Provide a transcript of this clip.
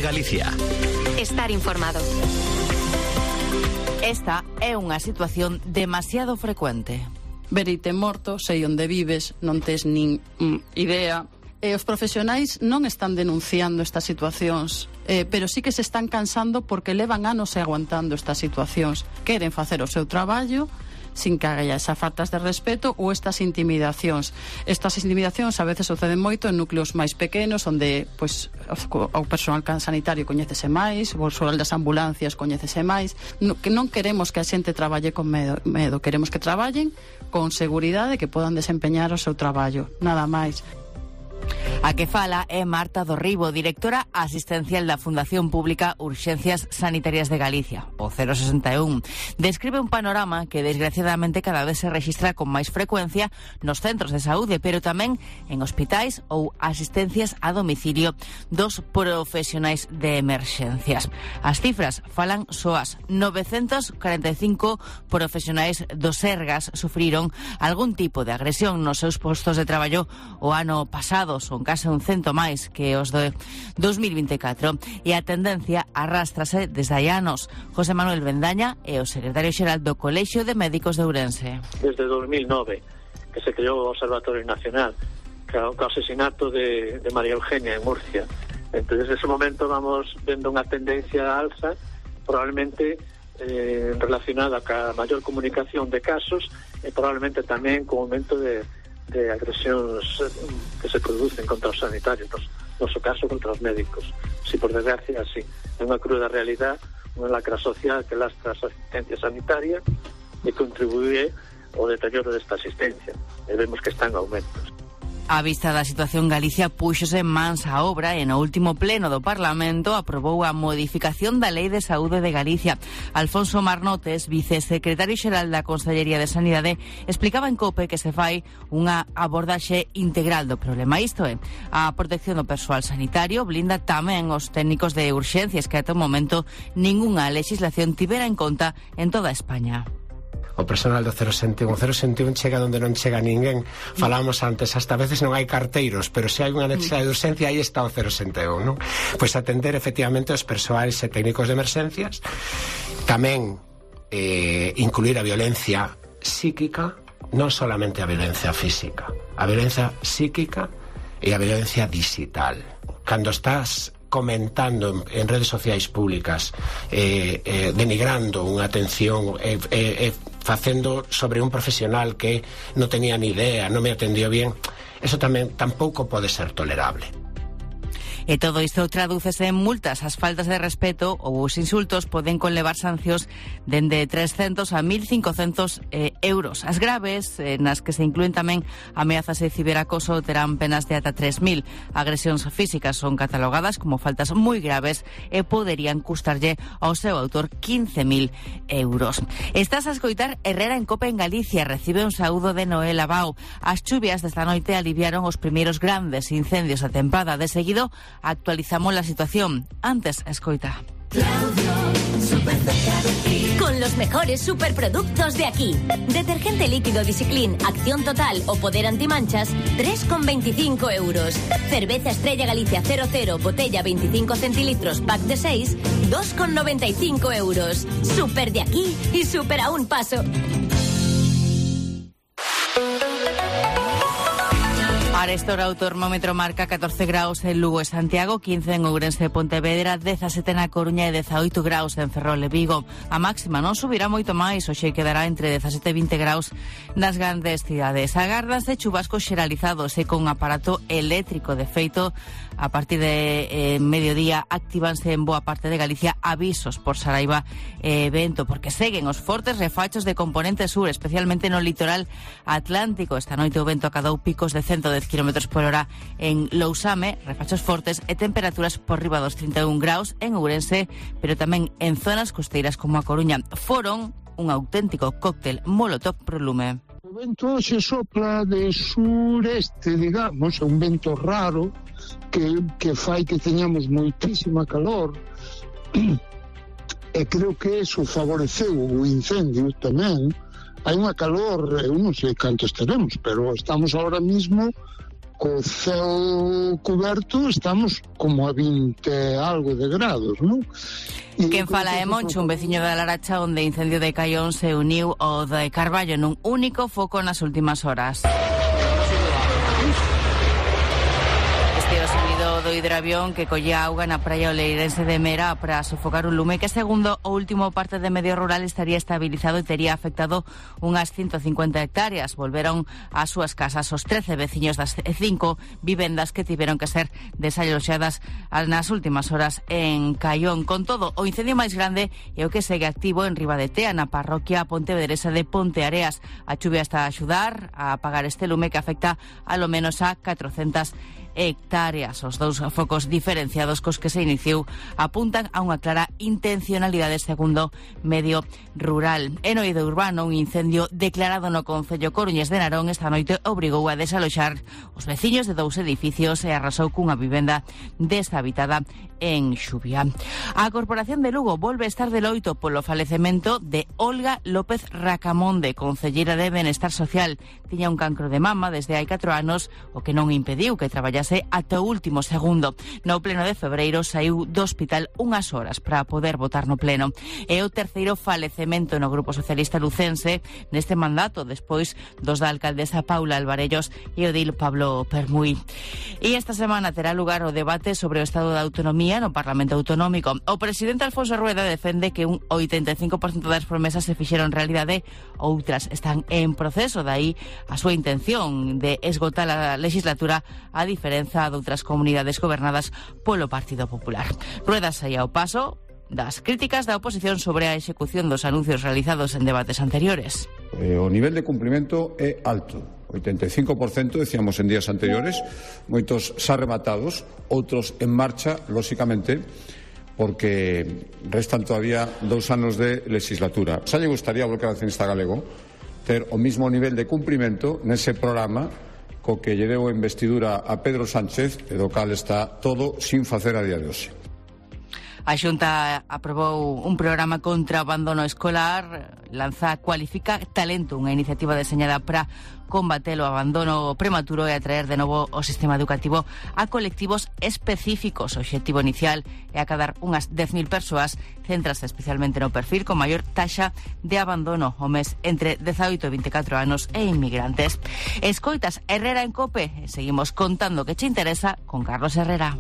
Galicia. Estar informado. Esta é unha situación demasiado frecuente. Verite morto, sei onde vives, non tes nin idea. Os profesionais non están denunciando estas situacións, pero sí que se están cansando porque levan anos aguantando estas situacións. Queren facer o seu traballo sin que haya esas faltas de respeto ou estas intimidacións. Estas intimidacións a veces suceden moito en núcleos máis pequenos, onde pois, o personal sanitario coñécese máis, o persoal das ambulancias coñécese máis. Que non queremos que a xente traballe con medo, queremos que traballen con seguridade, que podan desempeñar o seu traballo, nada máis. A que fala é Marta Dorribo, directora asistencial da Fundación Pública Urxencias Sanitarias de Galicia, o 061. Describe un panorama que desgraciadamente cada vez se rexistra con máis frecuencia nos centros de saúde, pero tamén en hospitais ou asistencias a domicilio dos profesionais de emerxencias. As cifras falan soas. 945 profesionais do Sergas sufriron algún tipo de agresión nos seus postos de traballo o ano pasado. Son case un cento máis que os de 2024 e a tendencia arrástrase desde hai anos. José Manuel Bendaña é o secretario xeral do Colexio de Médicos de Ourense. Desde 2009 que se creou o Observatorio Nacional co asesinato de María Eugenia en Murcia. Entonces, desde ese momento vamos vendo unha tendencia alza, probablemente relacionada ca maior comunicación de casos e probablemente tamén co aumento de agresións que se producen contra os sanitarios, no seu caso contra os médicos. Si por desgracia, así, é unha cruda realidade, unha lacra social que lastra a asistencia sanitaria e contribuye ao deterioro desta asistencia. E vemos que está en aumentos. A vista da situación, Galicia púxose mans á obra e no último pleno do Parlamento aprobou a modificación da Lei de Saúde de Galicia. Alfonso Marnotes, vicesecretario xeral da Consellería de Sanidade, explicaba en COPE que se fai unha abordaxe integral do problema. Isto é, a protección do persoal sanitario blinda tamén os técnicos de urxencias que ata o momento ningunha legislación tivera en conta en toda España. O personal do 061. O 061 chega onde non chega ninguén. Falábamos antes, hasta veces non hai carteiros, pero se hai unha necesidade de urxencia, aí está o 061, non? Pois atender efectivamente os persoais e técnicos de emerxencias. Tamén incluir a violencia psíquica, non solamente a violencia física, a violencia psíquica e a violencia digital. Cando estás comentando en redes sociais públicas denigrando unha atención facendo sobre un profesional que non tenía ni idea, non me atendió bien, eso tamén tampouco pode ser tolerable. E todo isto tradúcese en multas. As faltas de respeto ou os insultos poden conlevar sancións dende 300 a 1.500 euros. As graves, nas que se inclúen tamén ameazas de ciberacoso, terán penas de ata 3.000. Agresións físicas son catalogadas como faltas moi graves e poderían custarlle ao seu autor 15.000 euros. Estás a escoitar Herrera en Cope en Galicia. Recibe un saúdo de Noel Abao. As chuvias desta noite aliviaron os primeiros grandes incendios da tempada. De seguido, actualizamos la situación. Antes, escoita. Con los mejores superproductos de aquí. Detergente líquido Discipline, acción total o poder antimanchas, 3,25 euros. Cerveza Estrella Galicia 00, botella 25 centilitros, pack de 6, 2,95 euros. Super de aquí y super a un paso. Para esta hora o termómetro marca 14 graus en Lugo e Santiago, 15 en Ourense e Pontevedra, 17 na Coruña e 18 graus en Ferrol e Vigo. A máxima non subirá moito máis, hoxe quedará entre 17 e 20 graus nas grandes cidades. Agárdanse chubascos xeralizados e con aparato eléctrico. De feito, a partir de mediodía actívanse en boa parte de Galicia avisos por saraiba e vento, porque seguen os fortes refachos de componente sur, especialmente no litoral atlántico. Esta noite o vento acadou picos de 110 km por hora en Lousame, refachos fortes e temperaturas por riba dos 31 graus en Ourense, pero tamén en zonas costeiras como a Coruña. Foron un auténtico cóctel molotov pro lume. O vento se sopla de sureste, digamos, é un vento raro que fai que teñamos moitísima calor e creo que eso favoreceu o incendio tamén. Hai unha calor, eu non sei canto estaremos, pero estamos ahora mismo co ceo coberto estamos como a 20 algo de grados, non? Quen fala é Moncho, un veciño da Laracha onde incendio de Caión se uniu ao de Carballo nun único foco nas últimas horas. Este é o sonido do hidroavión que collía auga na praia oleirense de Mera para sofocar un lume que, segundo o último parte de Medio Rural, estaría estabilizado e tería afectado unhas 150 hectáreas. Volveron ás súas casas os 13 veciños das 5 vivendas que tiveron que ser desaloxadas nas últimas horas en Caión. Con todo, o incendio máis grande é o que segue activo en Ribadetea, na parroquia pontevedresa de Ponteareas. A chuvia está a axudar a apagar este lume que afecta a lo menos a 400 hectáreas. Os dous focos diferenciados cos que se iniciou apuntan a unha clara intencionalidade segundo Medio Rural. En oído urbano, un incendio declarado no concello coruñés de Narón esta noite obrigou a desaloxar os veciños de 2 edificios e arrasou cunha vivenda deshabitada en Xubia. A Corporación de Lugo volve a estar de loito polo falecemento de Olga López Racamonde, concelleira de Benestar Social. Tiña un cancro de mama desde hai 4 anos, o que non impediu que traballase ata o último segundo. No pleno de febreiro saiu do hospital unhas horas para poder votar no pleno. É o terceiro falecemento no Grupo Socialista lucense neste mandato, despois dos da alcaldesa Paula Alvarellos e o dil Pablo Permuy. E esta semana terá lugar o debate sobre o estado da autonomía no Parlamento Autonómico. O presidente Alfonso Rueda defende que un 85% das promesas se fixeron realidade, outras están en proceso, dai a súa intención de esgotar a legislatura a diferenza de outras comunidades gobernadas polo Partido Popular. Rueda saía ao paso das críticas da oposición sobre a execución dos anuncios realizados en debates anteriores. O nivel de cumprimento é alto. 85%, decíamos en días anteriores, moitos xa rematados, outros en marcha, lóxicamente, porque restan todavía 2 anos de legislatura. Xa lle gustaría ao Bloque Nacionalista Galego ter o mismo nivel de cumprimento nese programa co que lle deu a investidura a Pedro Sánchez, e do cal está todo sin facer a día de hoxe. A Xunta aprobou un programa contra o abandono escolar. Lanza Cualifica Talento, unha iniciativa deseñada para combater o abandono prematuro e atraer de novo o sistema educativo a colectivos específicos. O obxectivo inicial é acadar unhas 10.000 persoas, centrase especialmente no perfil con maior taxa de abandono, homes entre 18 e 24 anos e inmigrantes. Escoitas Herrera en Cope, seguimos contando que che interesa con Carlos Herrera.